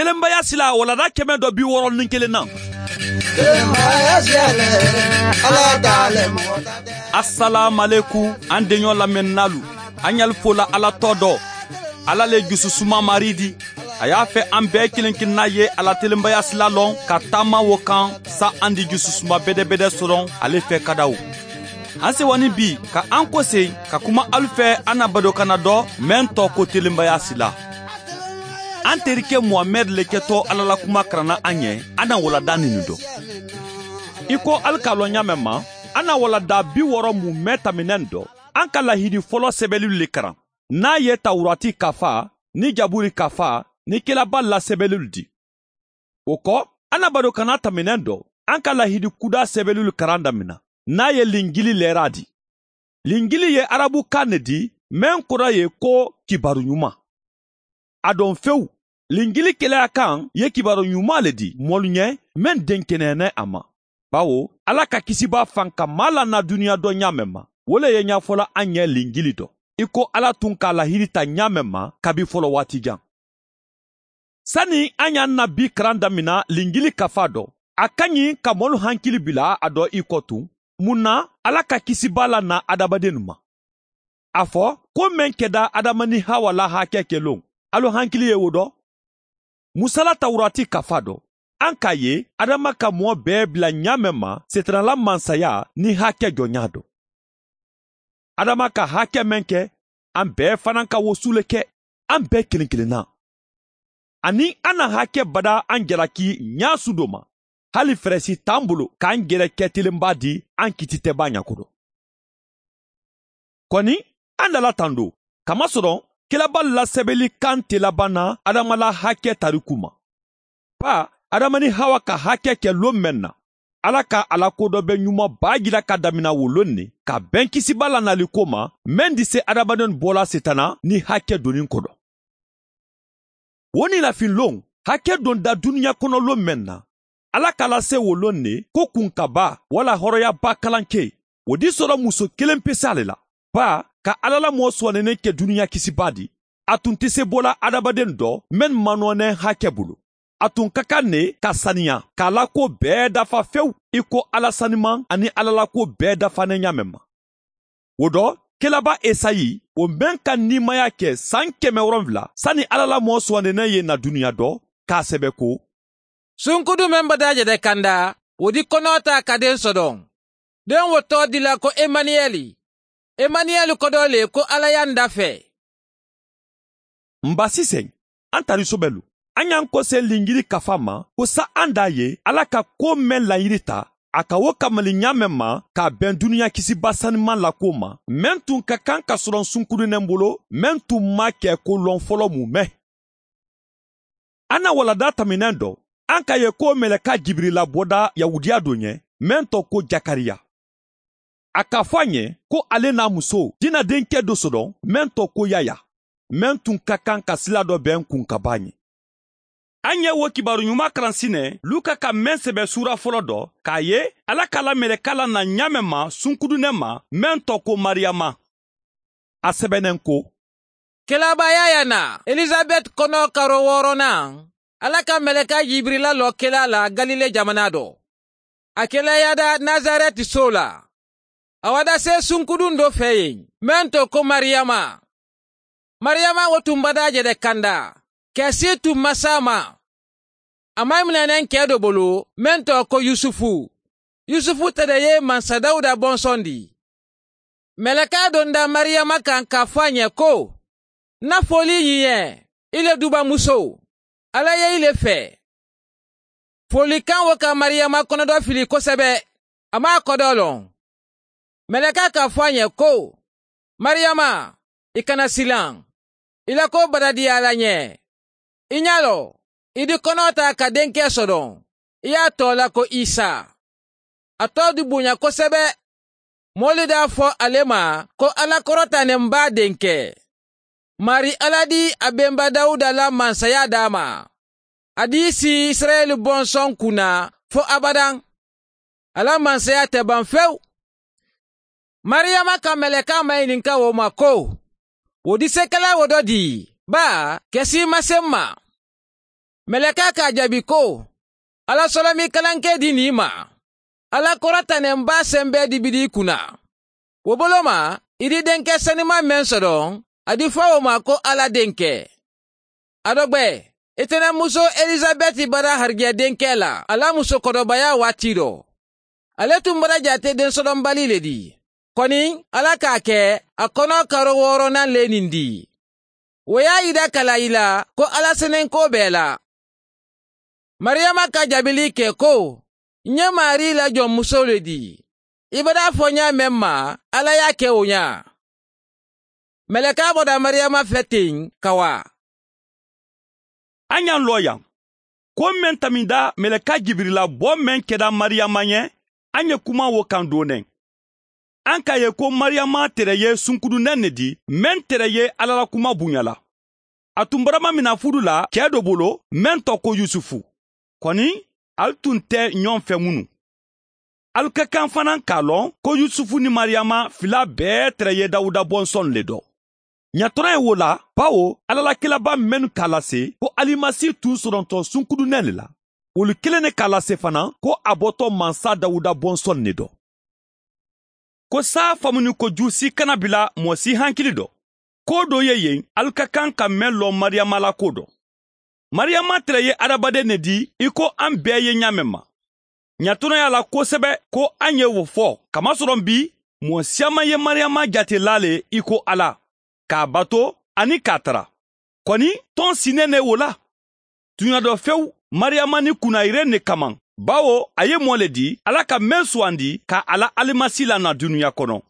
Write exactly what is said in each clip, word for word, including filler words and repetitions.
Telenbaya sila walanda kɛmɛ dɔ bi wɔɔrɔ ni kelen na. Asalaamualekum, an deɲɔ lamɛnnaalu, an ɲali fola Ala tɔ dɔ. Ala le jususuma Mari di. A y'a fɛ an bɛɛ kelen-kelenna ye a la telenbaya sila lɔn ka taama wo kan, sa an di jususuma bɛdɛbɛdɛ sɔrɔ ale fɛ kadaw. An sewa ni bi ka an kosegin ka kuma alu fɛ an na badokanna dɔ, meŋ tɔgɔ ko telenbaya sila. An terike Muhamɛdi le kɛtɔ Ala la kuma karanna an ye, an na walanda ninnu dɔn. I ko alu k'a lɔn ɲaamɛ ma, an na walanda bi wɔɔrɔ mun mɛn taminɛn dɔ, an ka lahidi fɔlɔ sɛbɛlilu le karan, n'a ye tawurati kafa ni jaburi kafa ni kelaba lasɛbɛlilu di. O kɔ, an na badokanna taminɛn dɔ, an ka lahidi kuda sɛbɛlilu karan damina, n'a ye linjili lɛra di. Linjili ye arabukan ne di, meŋ kɔrɔ ye ko kibaru ɲuman. A dɔn fewu, linjili keleyakan ye kibaru ɲuman le di moolu ɲɛ, meŋ denkeneyana a ma. Bawo Ala ka kisibaa fanka maa la na duniya dɔ ɲaamɛ ma, wo le ye ɲafola an ɲɛ linjili dɔ, i ko Ala tun ka lahidi ta ɲaamɛ ma kabi fɔlɔ waati jan. Sani an ye an na bi karan damina linjili kafa dɔ, a ka ɲi ka moolu hankili bila a dɔ i kɔ tun. Mun na Ala ka kisibaa la na adamadennu ma? A fɔ ko meŋ kɛda adama ni hawa la hakɛ kɛ loŋ, alu hankili ye wo dɔ? Musa la tawurati kafa dɔ, an k'a ye adama ka moo bɛɛ bila ɲaamɛ ma setanala mansaya ni hakɛ jɔnya dɔ. Adama ka hakɛ meŋ kɛ, an bɛɛ fanaŋ ka wo su le kɛ, an bɛɛ kelen-kelenna. Ani an na hakɛ bada an jalaki ɲaasu dɔ ma, hali fɛrɛsi t'an bolo k'an jɛrɛ kɛ telenba di an kititɛbaa ɲa kodo. Kɔni, an dala tando, kamasɔrɔ kelaba lasɛbɛli kan tɛ laban na adama la hakɛ tariku ma. Ba, adama ni hawa ka hakɛ kɛ lon meŋ na, Ala ka a la ko dɔ bɛ ɲuman baa jira ka damina wo lon ne, ka bɛn kisibaa la nali ko ma, meŋ di se adamadenw bɔla setana ni hakɛ donni kodo. Wo niilafin lon, hakɛ donda duniya kono lon meŋ na, Ala ka lase wo lon ne ko kunkabaa wala hɔrɔyabaa kalanke, wo di sɔrɔ muso kelen pese ale la. Ba, ka Ala la moo suwanene ke duniya kisibaa di, a tun te se bola adamaden dɔ meŋ manɔɔnɛ hakɛ bolo. A tun ka kan ne ka saniya k'a la ko bɛɛ dafa fewu, i ko Ala saniman ani Ala la ko bɛɛ dafanen ɲaamen ma. Wo dɔ, kelaba Esayi, wo meŋ ka niimaya ke san keme woronwula sani Ala la moo suwanene ye na duniya dɔ, k'a sebe ko: Sunkudu meŋ bada a je de kanda, wo di konoo taa ka den sodoŋ. Den wo too dila ko Emaniyeli. Emaniyeli kodoo le ko Ala ye a nda fee. Mba sisen, an tarisobelu, an ye an kose linjili kafa ma ko sa an da ye Ala ka ko meŋ layiri ta, a ka wo kamali ɲaamen ma k'a ben duniya kisiba saniman la ko ma, meŋ tun ka kan ka soroŋ sunkudinen bolo, meŋ tun ma ke ko loŋ folo mu me. An na walanda taminen do, an ka ye ko meleka jibirila boda yahudiya do ɲe, meŋ to ko jakariya. A ka fo a ɲe ko ale na muso dina denke do sodoŋ, meŋ to ko yaya, meŋ tun ka kan ka sila do ben kunkaba ɲe. An ye wo kibaru ɲuma karan sine luka ka meŋ sebe suura folo do, k'a ye ala ka la meleka la na ɲaamen ma sunkudunen ma, meŋ to ko mariyama. A sebennen ko: Kelaba yaya na elizabet kono karo wooronan, ala ka meleka jibirila lo kela la galile jamana do. A kela yada nazareti soo la. A wada see sunkudun do fee yen, meŋ to ko mariyama. Mariyama wo tun bada a je de kanda, kesi tun masaa ma. A maŋ i minenen kee do bolo, meŋ to ko yusufu. Yusufu te de ye mansa dawuda bonsoŋ di. Meleka donda mariyama kaŋ ka fo a ɲe ko: Nna foolii ɲiŋ ye, i le duba muso, ala ye i le fee. Foolikaŋ wo ka mariyama konodoo fili kosebe, a maŋ a kodoo loŋ. Meleka ka fo a ɲe ko: Mariyama, i kana silaŋ. I la koo badadiyaa la ǹ ye. I ña loŋ, i di konoo taa ka denkee sodoŋ, i ye a too la ko isa. A too di buña kosebe. Moolu de a fo ale ma ko ala korota ne m baa denkee. Maarii ala di a bemba dawuda la mansayaa daa ma. A di i si isirayeli bonsoŋ kuna fo abadaŋ. A la mansayaa te baŋ fewu. Mariyama ka melekaa mayininka wo ma ko: Wo di se kela wo do dii, baa kesii mase m ma? Melekaa ka a jaabi ko, ala solomii kalankee dii nii ma. Ala koro taneŋ baa sembee dibidi i kunna. Wo boloma i di denkee senimaa meŋ sodoŋ, a di fawoo ma ko ala denkee. A dogbe i tene musoo elisabeti bara harigiya denkee la a la musokodobayaa waati do. Ale tuŋ bara jaate densodonbalii le di. Koni ala ka a ke a kono karo wooronaŋ le nindi. Wo ye a yida kala i la ko ala senenkoo be i la. Mariyama ka jaabilii ke ko, ǹ ye maarii la joŋ musoo le di. I be daa fo ñaameŋ ma, ala ye a ke wo ñaa. Melekaa boda mariyama fe teŋ ka waa. A ñaŋ loo yaŋ. Ko meŋ taminda meleka jibirila boo meŋ keda mariyama ñe, a ñe kuma wo kaŋ dooneŋ. A ka ye ko mariyama tere ye sunkuduneŋ ne di meŋ tere ye alla la kuma buña la. A tun barama mina fudu la kee do bolo meŋ to ko yusufu. Koni ali tun te ñoŋ fe munu. Ali ka kaŋ fanaŋ ka a loŋ ko yusufu ni mariyama filaa bee tere ye dawuda bonsonlu le do. Ñatonaŋ ye wo la, bawo alla la kilabaa mennu ka a lase ko alimasi tun soronto sunkuduneŋ le la, wolu keleŋ ne ka a lase fanaŋ ko a boto mansa dawuda bonsonlu le do. Ko saa famu ni ko juu si kana bila moo si hankili do. Koo doo ye yen ali ka kaŋ ka meŋ loŋ mariyama la koo do. Mariyama tele ye adamaden ne di i ko an bee ye ñaameŋ ma. Ñatono ye a la kosebe ko an ye wo fo kamasoroŋ bi moo siyaama ye mariyama jate la le i ko alla, k'a bato aniŋ k'a tara. Koni toŋ si nene wo la. Tuɲa dɔ fewu, mariyama ni kunayire ne kaman, bawo a ye moo le di alla ka meŋ suwandi ka a la alimasi la na duniya kono.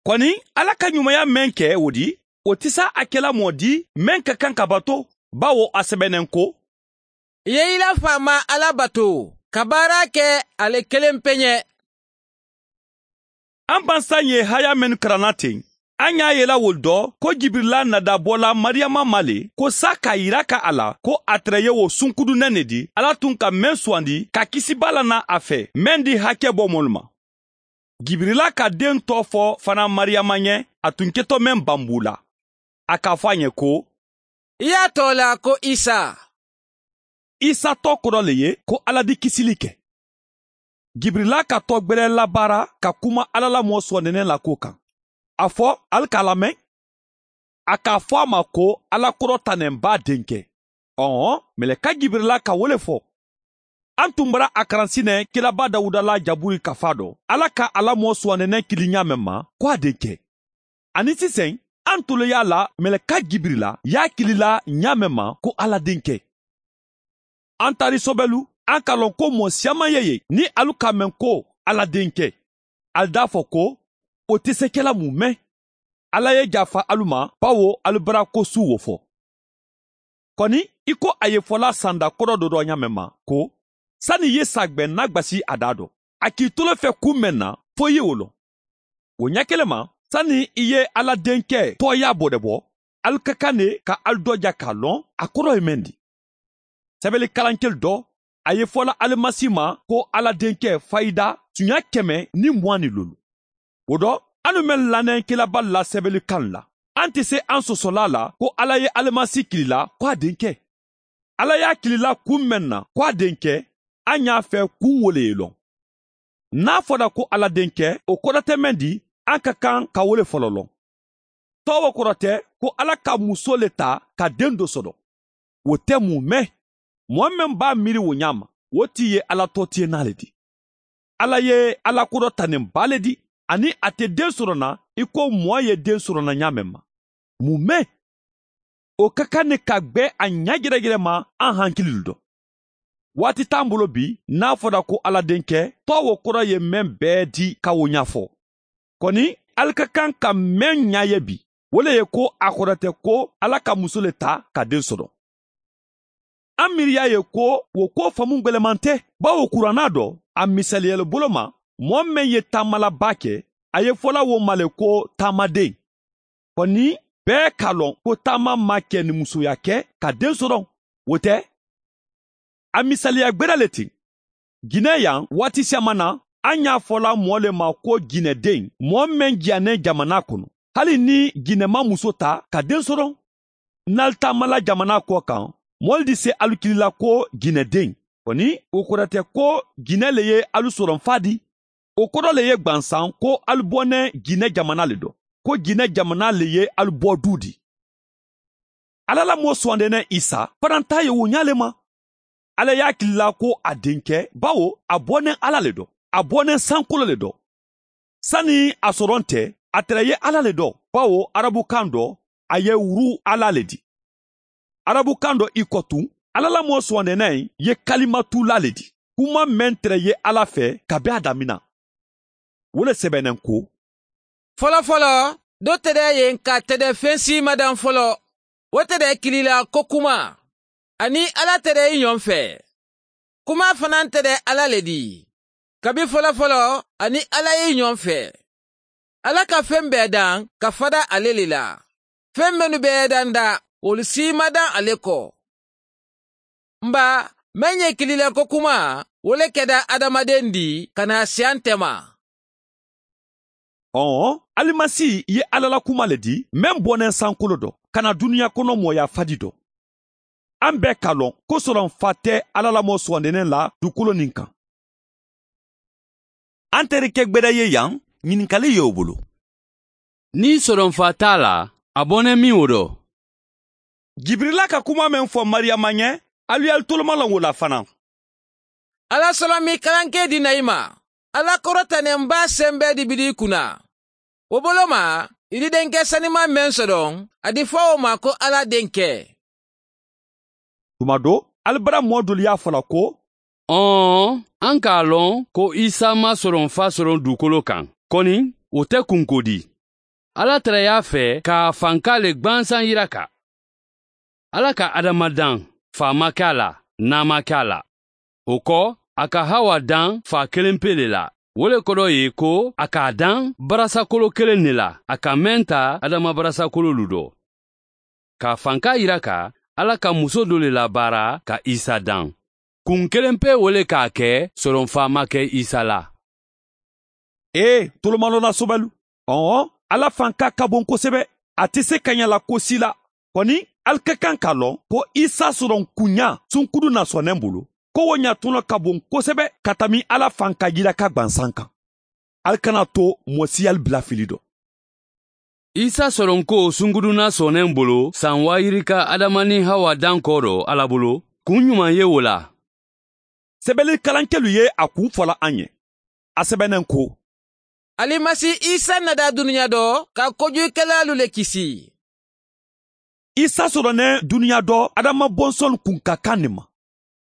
Koni alla ka ɲumaya meŋ ke wo di, wo ti sa a kela moo di meŋ ka kaŋ ka bato, bawo a sebeneŋ ko, i ye i la faamaa alla bato ka baara ke a le keleŋ peɲe. An bansa ye haya mennu karanna teŋ, an y'a yela wolu do ko jibirila nadabola mariyama ma le ko sa k'a yira ka a la ko a tere ye wo sunkudunen ne di alla tun ka meŋ suwandi ka kisibaa la na a fe meŋ di hake bo moolu ma. Jibirila ka den too fo fanaŋ mariyama ye, a tun keto meŋ bambuu la. A k'a fo a ye ko, i ye a too la ko isa. Isa too kodo le ye ko alla di kisili ke. Jibirila ka too gbele labaara ka kuma alla la moo sooneneŋ la kuwo kaŋ. A fo ali ka a lameŋ. A k'a fo a ma ko alla kodo taneŋ baa denke. Ɔɔ, meleka jibirila ka wo le fo. An tun bara a karansi ne kilaba dawuda la jaburi kafa do alla ka a la moo suwanene kili ɲaameŋ ma ko a denke. Aniŋ siseŋ, an tulu ye a la meleka jibirila ye a kili la ɲaameŋ ma ko alla denke. An taari sobelu, an ka loŋ ko moo siyaama ye ye niŋ alu ka a meŋ ko alla denke. Ali daa fo ko, wo te se ke la mume. Alla ye jaafa alu ma, bawo alu bara ko suu wo fo. Koni i ko a ye fola sanda kodo dodo ɲaameŋ ma ko, sani i ye saagbeŋ na gbasi a daa do, a k'i tolo fe kuŋ meŋ na, fo i ye wo loŋ. Wo ɲakelema, sani i ye alla denke tooyaa bodebo, ali ka kaŋ ne ka ali doja ka a loŋ a kodo ye meŋ di. Sebeli kalankelu do, a ye fola alimasi ma ko alla denke fayida tuɲa keme niŋ muwaŋ ni lolu. Wo do, anu meŋ laneŋ kilaba lasebeli kaŋ la, an te se an sosola la ko alla ye alimasi kilila ko a denke. Alla ye a kilila kuŋ meŋ na ko a denke, an ye a fe kuŋ wo le ye loŋ. Niŋ a fota ko alla denke, wo kodo te meŋ di, an ka kaŋ ka wo le folo loŋ. Too wo kodo te ko alla ka musoo le taa ka den do soto. Wo te mume. Moo meŋ be a miiri wo ɲaa ma, wo ti ye alla tootiyenaa le ti. Alla ye alla kodo taneŋ baa le di, aniŋ a te den soto na i ko moo ye den soto na ɲaameŋ ma. Mume. Wo ka kaŋ ne ka gbe a ɲa jerejere ma an hankililu do. Waati taŋ bolo bi, niŋ a fota ko alla denke, too wo kodo ye meŋ bee di ka wo ɲa fo. Koni, ali ka kaŋ ka meŋ ɲa ye bi, wo le ye ko a kodo te ko alla ka muso le taa ka den soto. A miiriya ye ko wo kuwo famu gbeleman te, bawo kuranaa do, a misaliyalu bolo ma, moo meŋ ye taamala baa ke, a ye fola wo ma le ko taamadeŋ. Koni, bee ka loŋ ko taama maŋ ke ni musoya ke ka den soto. Wo te, a misaliya gbeda le ti. Gine yaŋ waati siyaama na, a ñaa fola moo le ma ko ginedeŋ, moo meŋ jiyaneŋ jamanaa kono, hali niŋ gine maŋ muso taa ka den soto. Niŋ ali taamala jamanaa ko kaŋ, moolu di se alu kili la ko jinɛ den. Koni wo kota te ko jinɛ le ye alu soronfaa di. Wo kota le ye gbansan ko alu bone jinɛ jamana le do, ko jinɛ jamana le ye alu bo du di. Alla la moo suwandene isa fananta ye wo ñaa le ma. Alla ye a kili la ko a denke, bawo a bone alla le do, a bone sankolo le do. Sani a soronte, a tere ye alla le do, bawo arabukan do a ye wuru alla le di. Arabukan do i ko tun, alla la moo suwandene ye kalimatu la le di, kuma men tere ye alla fe kabi a damina. Wo le sebenen ko, folofolo do tere ye n ka tere fen siima dan folo. Wo tere kili la ko kuma, a ni alla tere i ñoŋ fe. Kuma fanaŋ tere alla le di, kabi folofolo a ni alla ye i ñoŋ fe. Alla ka fen bee daŋ ka fada ale le la. Fen mennu be ye danda wolu siima daŋ ale ko. N ba, meŋ ye kili la ko kuma, wo le keda adamaden di ka naa siyante ma. Ɔɔ, alimasi ye alla la kuma le di, meŋ bonen sankolo do ka na duniya kono mooya fadi do. An bee ka loŋ ko soronfa te alla la moo suwandenen la dukolo niŋ kaŋ. An teri ke gbeda ye yaŋ, ñininkali ye wo bulu. Niŋ soronfa te a la, a bonen miŋ wo do? Jibirila ka kuma meŋ fo mariyama ñe, alu ye alu tolomaloŋ wo la fanaŋ. Alla solomi kalankee di na i ma. Alla korota ne m baa sembee di bidi i kuna. Wo bolo ma, i di denke sanimaŋ meŋ sodoŋ, a di fo wo ma ko alla denke. Tuma do, ali bara moo dolu ye a fo la ko, ɔɔ, an ka a loŋ ko isa ma soronfa soroŋ dukolo kaŋ, koni wo te kunkodi. Alla tara ye a fe ka a fanka le gbansaŋ yiraka. Alla ka adama daŋ, faa ma ke a la, naa ma ke a la. Wo ko, a ka hawa daŋ faa kelenpe le la. Wo le kodo ye ko a ka a daŋ barasakolo keleŋ ne la, a ka meŋ ta adama barasakololu do. Ka a fanka yiraka, alla ka muso do le labaara ka isa daŋ. Kuŋ kelenpe wo le ka a ke soronfa ma ke isa la. Ee, tolomalona sobelu, ɔɔ, alla fanka ka boŋ kosebe. A te se ka ña la ko si la. Koni, ali ka kaŋ ka loŋ ko isa soroŋ kuñaa sunkudu na soneŋ bulu, ko wo ña tuno ka boŋ kosebe ka tami alla fanka yiraka gbansaŋ kaŋ. Ali kana to moo si ali bila fili do. Isa soronko sunkudu na soneŋ bulu sanwaayirika adama niŋ hawa dankoo do alla bulu. Kuŋ ñumaŋ ye wo la? Sebeli kalankelu ye a kuŋ fo la a ñe. A sebeneŋ ko, alimasi isa nada duniya do ka kojuyikelaalu le kisi. Isa soroneŋ duniya do adama bonsonlu kuŋ ka kaŋ ne ma.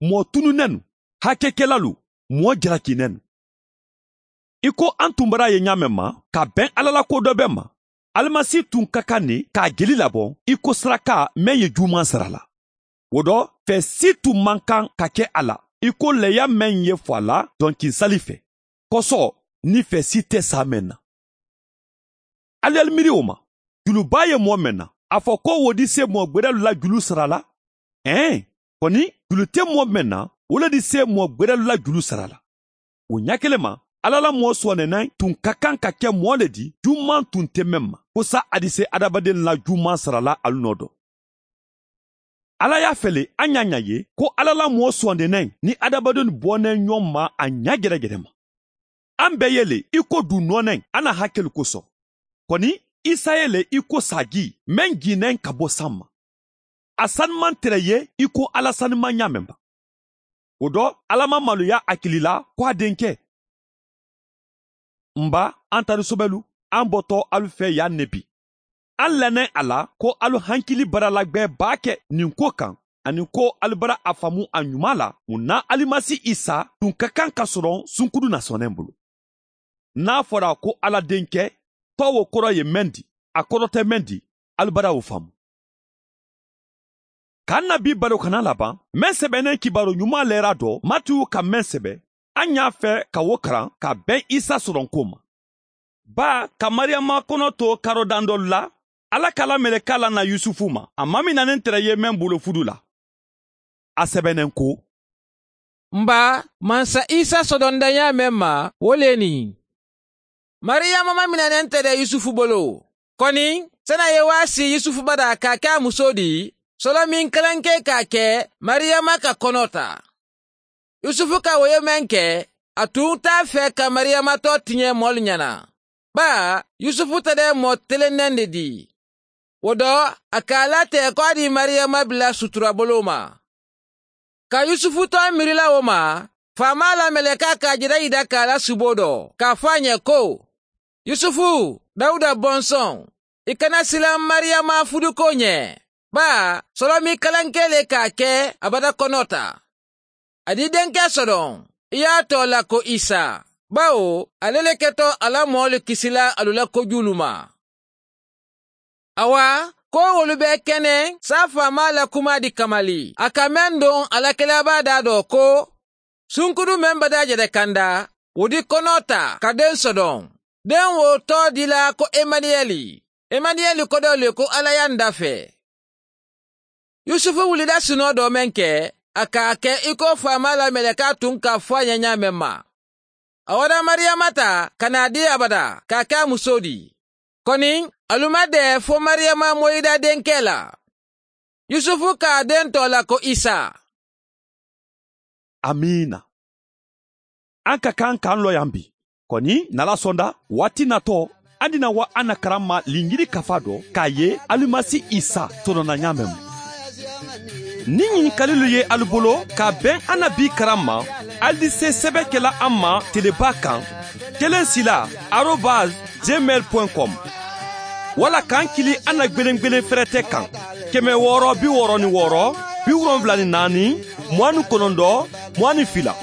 Moo tununenu, hakekelalu, moo jalakinenu. I ko an tun bara a ye ñaameŋ ma, ka beŋ alla la ko do be ma, alimasi tun ka kaŋ ne ka a jeli laboŋ i ko saraka meŋ ye juumaŋ sara la. Wo do, fee si tun maŋ kaŋ ka ke a la i ko leya meŋ ye fo a la donkinsali fee, koso, niŋ fee si te saa meŋ na. Ali ye ali miiri wo ma, julu baa ye moo meŋ na, a fo ko wo di se moo gbedalu la julu sara la? Ee, koni, julu te moo meŋ na, wo le di se moo gbedalu la julu sara la. Wo ñaakilema, alla la moo suwandenaŋ tun ka kaŋ ka ke moo le di jumaŋ tun te meŋ ma kosa a di se adamadennu la jumaŋ sara la alu noo do. Alla ye a fele a ñaañaa ye ko alla la moo suwandenaŋ niŋ adamadennu boneŋ ñoŋ ma a ñaa jerejerema. An be ye le i ko duu nooneŋ a na hakelu koso. Koni, isa ye le i ko saajii meŋ jiineŋ ka bo saŋ ma. A sani maŋ tere ye i ko alla sani maŋ ñaameŋ ba. Wo do, alla maŋ maluya a kili la ko a denke. N ba, an tari sobelu, an boto alu fee yaŋ ne bi. An lanen a la ko alu hankili bara lagbee baa ke ñiŋ ko kaŋ, aniŋ ko alu bara a faamu a ñumaa la, muŋ na alimasi isa tun ka kaŋ ka soroŋ sunkudu na soneŋ bulu. Niŋ a fora ko alla denke, to wo koro ye meŋ di, a koro te meŋ di, alu bara wo faamu. Ka n na bii baro kana labaŋ, meŋ sebeneŋ kibaaroo ñumaa leera do matiyu ka meŋ sebe, a ñaa fee ka wo karaŋ ka beŋ isa soronko ma. Baa ka mariyama kono to karo dandolu la, alla ka la meleka la na yusufu ma a maminaneŋ tere ye meŋ bolo fudu la. A sebeneŋ ko, m ba, mansa isa sodonda ñaameŋ ma, wo le niŋ mariyama maminaneŋ tere yusufu bolo. Koni, sanaŋ ye waasi yusufu bada ka a ke a musoo di, solomiŋ kalankee ka a ke mariyama ka konoo taa. Yusufu ka wo ye meŋ ke, a tuŋ taa fee ka mariyama too tiñee moolu ñana. Baa yusufu te de moo telenneŋ de dii. Wo do a ka a la tee ko a dii mariyama bila suturaboloo ma. Ka yusufu too miiri la wo ma, faamaa la melekaa ka a jeda yida ka a la suboo do ka a fo a ñe ko, yusufu, dawuda bonsoŋ, i kana silaŋ mariyama fudukoo ñe. Baa solomi kalankee le ka a ke a bata konoo taa. A dii denkee sodoŋ, i ye a too la ko isa, bawo ale le keto a la moolu kisila alu la kojuulu ma. Awa, ko wolu be keneŋ saa faamaa la kumaa di kamali a ka meŋ doŋ a la kelebaa daa do ko, sunkudu meŋ bata jede kanda, wo di konoo taa ka deŋ sodoŋ. Deŋ wo too dila ko emaniyeli. Emaniyeli kodoo le ko alla ye a nda fee. Yusufu wulida sunoo doo meŋ ke, a ka a ke i ko faamaa la melekaa tuŋ ka a fo a ye ñaameŋ ma. A wara mariyama taa ka naa dii a bata ka a ke a musoo ti. Koniŋ, alu ma dee fo mariyama moyida denkee la. Yusufu ka a deŋ too la ko isa. Amiina. An ka kaŋ ka an loyaŋ bi. Koni nala sonda waati natoo, an dina wa an na karamma linjiri kafa do k'a ye alimasi isa tonona ñaameŋ mu. Niŋ ñinkalilu ye alu bolo ka beŋ an na bii karamma, ali di se sebe kela an ma telebaa kaŋ, kelen sila arobas gmail point com, walla kaŋ kili an na gbelengbelen ferete kaŋ, keme wooro bi wooro ni wooro, bi wolonwula ni naani, muwaani konondoo, muwaani fila.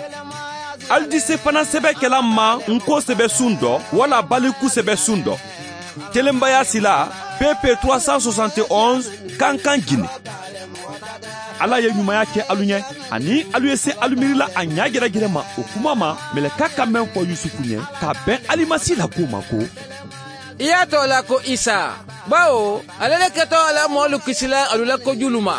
Ali di se fanaŋ sebe kela n ma n ko sebe suŋ do walla baliku sebe suŋ do. Telenbaya sila, pp trois cent soixante et onze, kankan gine. Alla ye ñumaya ke alu ñe, aniŋ alu ye se alu miiri la a ñaajerejere ma wo kuma ma, meleka ka meŋ fo yusufu ñe ka beŋ alimasi la kuwo ma ko, i ye a too la ko isa, bawo ale le keto a la moolu kisila alu la kojuulu ma.